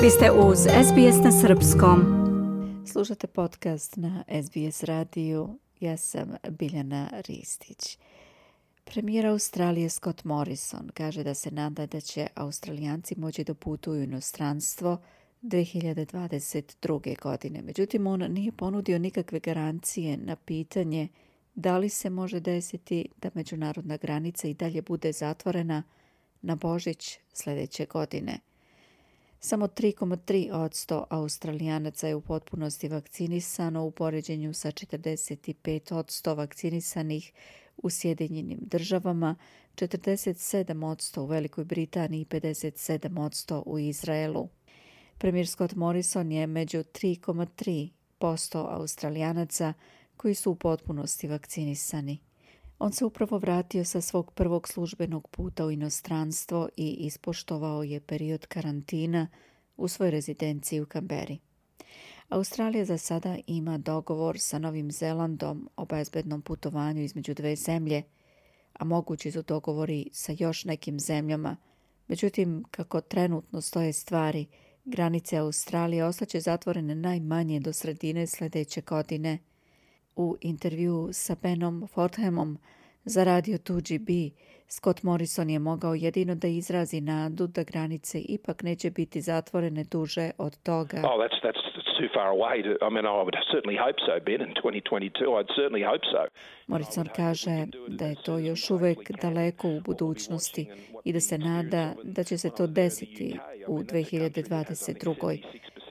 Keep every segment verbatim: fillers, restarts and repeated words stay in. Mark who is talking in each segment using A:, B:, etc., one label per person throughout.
A: Vi ste uz S B S na srpskom. Slušate podcast na S B S radiju. Ja sam Biljana Ristić. Premijer Australije Scott Morrison kaže da se nada da će Australijanci moći da putuju u inostranstvo dvije hiljade dvadeset druge. godine. Međutim, on nije ponudio nikakve garancije na pitanje da li se može desiti da međunarodna granica i dalje bude zatvorena na Božić sljedeće godine. Samo tri zarez tri posto Australijanaca je u potpunosti vakcinisano u poređenju sa četrdeset pet posto vakcinisanih u Sjedinjenim državama, četrdeset sedam posto u Velikoj Britaniji i pedeset sedam posto u Izraelu. Premijer Scott Morrison je među tri zarez tri posto Australijanaca koji su u potpunosti vakcinisani. On se upravo vratio sa svog prvog službenog puta u inostranstvo i ispoštovao je period karantina u svojoj rezidenciji u Kamberi. Australija za sada ima dogovor sa Novim Zelandom o bezbednom putovanju između dve zemlje, a mogući su dogovori sa još nekim zemljama. Međutim, kako trenutno stoje stvari, granice Australije ostaće zatvorene najmanje do sredine sljedeće godine. U intervju sa Benom Fordhamom za radio two G B, Scott Morrison je mogao jedino da izrazi nadu da granice ipak neće biti zatvorene duže od toga.
B: Oh, that's that's too far away. To, I mean, I would certainly hope so, Ben, in twenty twenty-two. I'd certainly hope so.
A: Morrison kaže da je to još uvijek daleko u budućnosti i da se nada da će se to desiti u dvije hiljade dvadeset druge.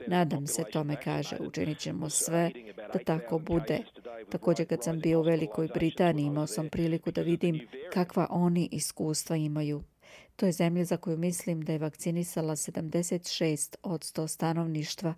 A: Nadam se tome, kaže, učinit ćemo sve da tako bude. Također kad sam bio u Velikoj Britaniji imao sam priliku da vidim kakva oni iskustva imaju. To je zemlja za koju mislim da je vakcinisala sedamdeset šest posto stanovništva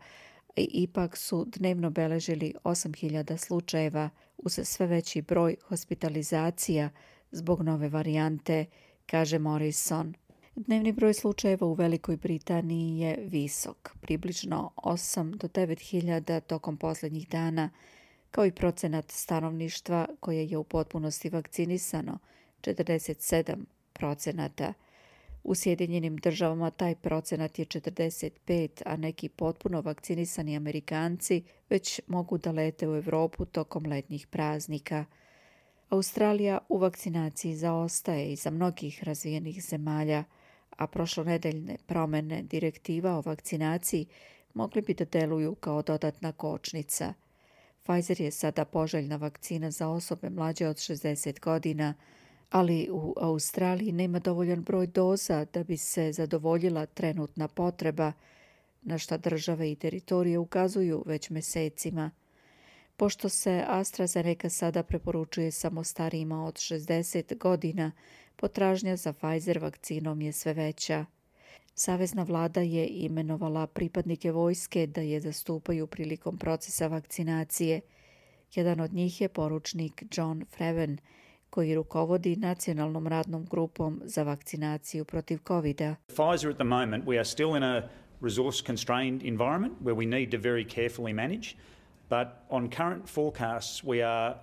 A: i ipak su dnevno beležili osam hiljada slučajeva uz sve veći broj hospitalizacija zbog nove varijante, kaže Morrison. Dnevni broj slučajeva u Velikoj Britaniji je visok, približno osam do devet hiljada tokom posljednjih dana, kao i procenat stanovništva koje je u potpunosti vakcinisano, četrdeset sedam procenata. U Sjedinjenim državama taj procenat je četrdeset pet, a neki potpuno vakcinisani Amerikanci već mogu da lete u Europu tokom letnjih praznika. Australija u vakcinaciji zaostaje iza mnogih razvijenih zemalja, a prošlonedeljne promjene direktiva o vakcinaciji mogli bi da deluju kao dodatna kočnica. Pfizer je sada poželjna vakcina za osobe mlađe od šezdeset godina, ali u Australiji nema dovoljan broj doza da bi se zadovoljila trenutna potreba, na šta države i teritorije ukazuju već mjesecima. Pošto se AstraZeneca sada preporučuje samo starijima od šezdeset godina, potražnja za Pfizer vakcinom je sve veća. Savezna vlada je imenovala pripadnike vojske da je zastupaju prilikom procesa vakcinacije. Jedan od njih je poručnik John Freven, koji rukovodi nacionalnom radnom grupom za vakcinaciju protiv covida.
C: Pfizer at the moment, we are still in a resource constrained environment where we need to very carefully manage, but on current forecasts we are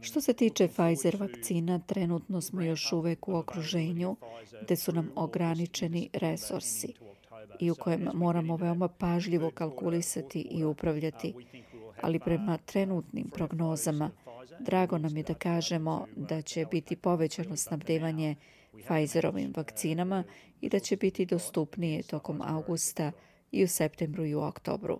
A: Što se tiče Pfizer vakcina, trenutno smo još uvijek u okruženju gdje su nam ograničeni resursi i u kojem moramo veoma pažljivo kalkulisati i upravljati. Ali prema trenutnim prognozama, drago nam je da kažemo da će biti povećano snabdevanje Pfizerovim vakcinama i da će biti dostupnije tokom augusta i u septembru i u oktobru.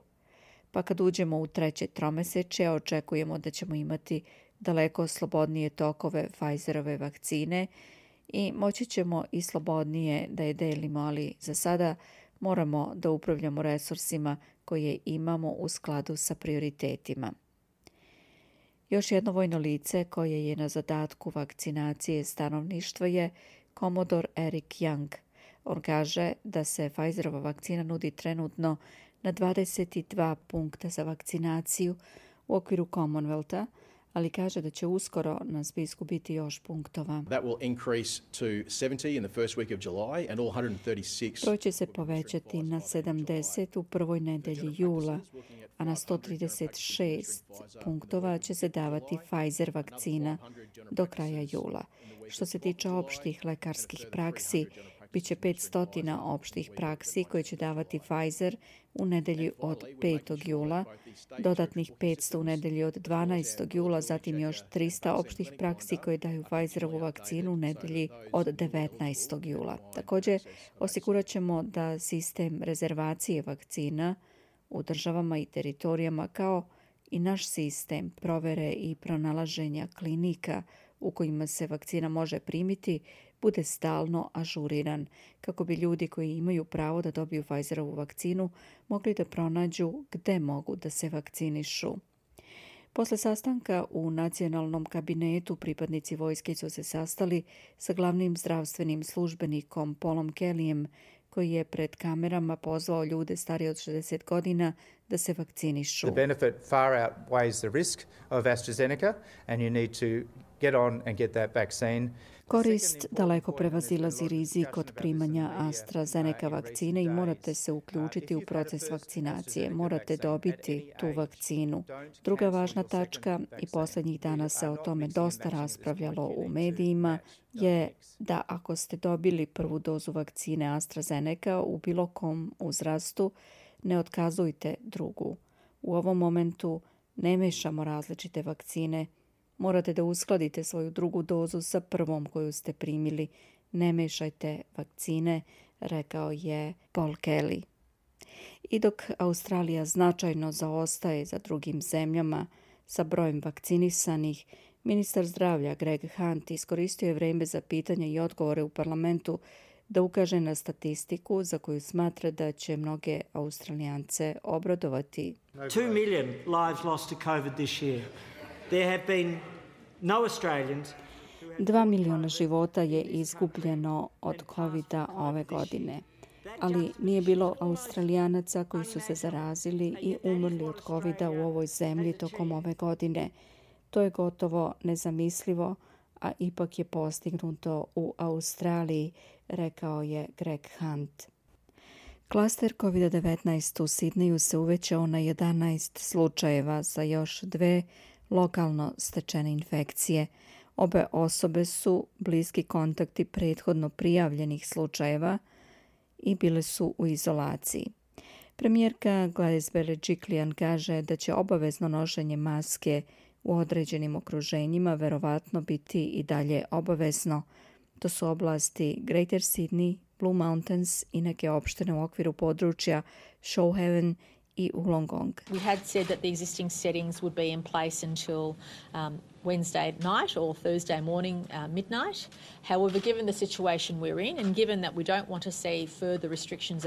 A: Pa kad uđemo u treće tromesečje, očekujemo da ćemo imati daleko slobodnije tokove Pfizerove vakcine i moći ćemo i slobodnije da je delimo, ali za sada moramo da upravljamo resursima koje imamo u skladu sa prioritetima. Još jedno vojno lice koje je na zadatku vakcinacije stanovništva je komodor Eric Young. On kaže da se Pfizerova vakcina nudi trenutno na dvadeset dva punkta za vakcinaciju u okviru Commonwealtha, ali kaže da će uskoro na spisku biti još punktova.
D: That will increase to seventy in the first week of July and all one hundred thirty-six.
A: Broj će se povećati na sedamdeset u prvoj nedelji jula, a na sto trideset šest punktova će se davati Pfizer vakcina do kraja jula. Što se tiče opštih lekarskih praksi, Biće petsto opštih praksi koje će davati Pfizer u nedelji od petog jula, dodatnih petsto u nedelji od dvanaestog jula, zatim još trista opštih praksi koje daju Pfizerovu vakcinu u nedelji od devetnaestog jula. Također, osigurat ćemo da sistem rezervacije vakcina u državama i teritorijama kao i naš sistem provere i pronalaženja klinika u kojima se vakcina može primiti bude stalno ažuriran, kako bi ljudi koji imaju pravo da dobiju Pfizerovu vakcinu mogli da pronađu gde mogu da se vakcinišu. Posle sastanka u nacionalnom kabinetu pripadnici vojske su se sastali sa glavnim zdravstvenim službenikom Paulom Kellyjem, koji je pred kamerama pozvao ljude starije od šezdeset godina da se vakcinišu.
E: The benefit far outweighs the risk of AstraZeneca and you need to get on and get that vaccine.
A: Korist daleko prevazilazi rizik od primanja AstraZeneca vakcine i morate se uključiti u proces vakcinacije. Morate dobiti tu vakcinu. Druga važna tačka, i posljednjih dana se o tome dosta raspravljalo u medijima, je da ako ste dobili prvu dozu vakcine AstraZeneca u bilo kom uzrastu, ne otkazujte drugu. U ovom momentu ne mešamo različite vakcine. Morate da uskladite svoju drugu dozu sa prvom koju ste primili. Ne mešajte vakcine, rekao je Paul Kelly. I dok Australija značajno zaostaje za drugim zemljama sa brojem vakcinisanih, ministar zdravlja Greg Hunt iskoristio je vreme za pitanja i odgovore u parlamentu da ukaže na statistiku za koju smatra da će mnoge Australijance obradovati.
F: Two million lives lost to COVID this year. There have been no Australians.
A: Dva miliona života je izgubljeno od kovida ove godine, ali nije bilo Australijanaca koji su se zarazili i umrli od kovida u ovoj zemlji tokom ove godine. To je gotovo nezamislivo, a ipak je postignuto u Australiji, rekao je Greg Hunt. Klaster kovid devetnaest u Sidneju se uvećao na jedanaest slučajeva sa još dve lokalno stečene infekcije. Obe osobe su bliski kontakti prethodno prijavljenih slučajeva i bile su u izolaciji. Premijerka Gladys Berejiklian kaže da će obavezno nošenje maske u određenim okruženjima verovatno biti i dalje obavezno. To su oblasti Greater Sydney, Blue Mountains i neke opštine u okviru područja Shoalhaven i Wollongong.
G: We had said that the existing settings would be in place until um, Wednesday night or Thursday morning uh, midnight. However, given the situation we're in and given that we don't want to see further restrictions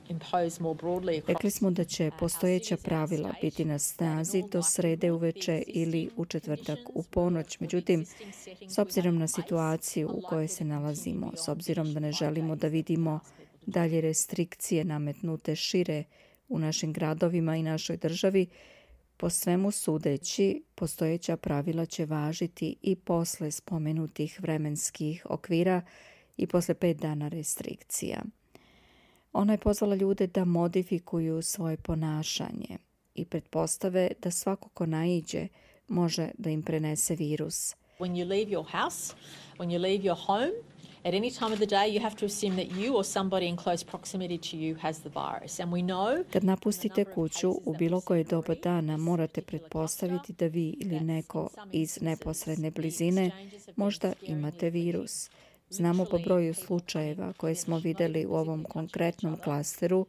G: imposed more broadly across...
A: Rekli smo da će postojeća pravila biti na snazi do srede uveče ili u četvrtak u ponoć. Međutim, s obzirom na situaciju u kojoj se nalazimo, s obzirom da ne želimo da vidimo dalje restrikcije nametnute šire u našim gradovima i našoj državi, po svemu sudeći, postojeća pravila će važiti i posle spomenutih vremenskih okvira i posle pet dana restrikcija. Ona je pozvala ljude da modifikuju svoje ponašanje i pretpostave da svako ko naiđe može da im prenese virus.
G: When you leave your house, when you leave your home, at any time of the day, you have to assume that you or somebody in close proximity to you has the virus. And we know...
A: Kad napustite kuću u bilo koje doba dana, morate pretpostaviti da vi ili neko iz neposredne blizine možda imate virus. Znamo po broju slučajeva koje smo videli u ovom konkretnom klasteru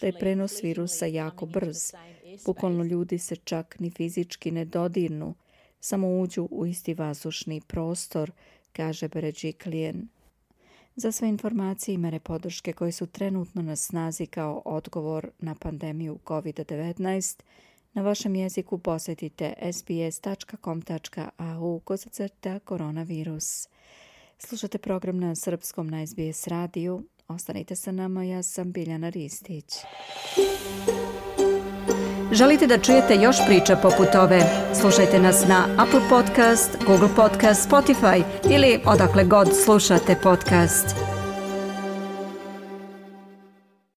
A: da je prenos virusa jako brz. Bukvalno ljudi se čak ni fizički ne dodirnu, samo uđu u isti vazdušni prostor, kaže Berejiklian. Za sve informacije i mere podrške koje su trenutno na snazi kao odgovor na pandemiju kovid devetnaest, na vašem jeziku posjetite sbs.com.au kosacrta koronavirus. Slušate program na srpskom na S B S radiju. Ostanite sa nama, ja sam Biljana Ristić. Želite da čujete još priča poput ove? Slušajte nas na Apple Podcast, Google Podcast, Spotify ili odakle god slušate podcast.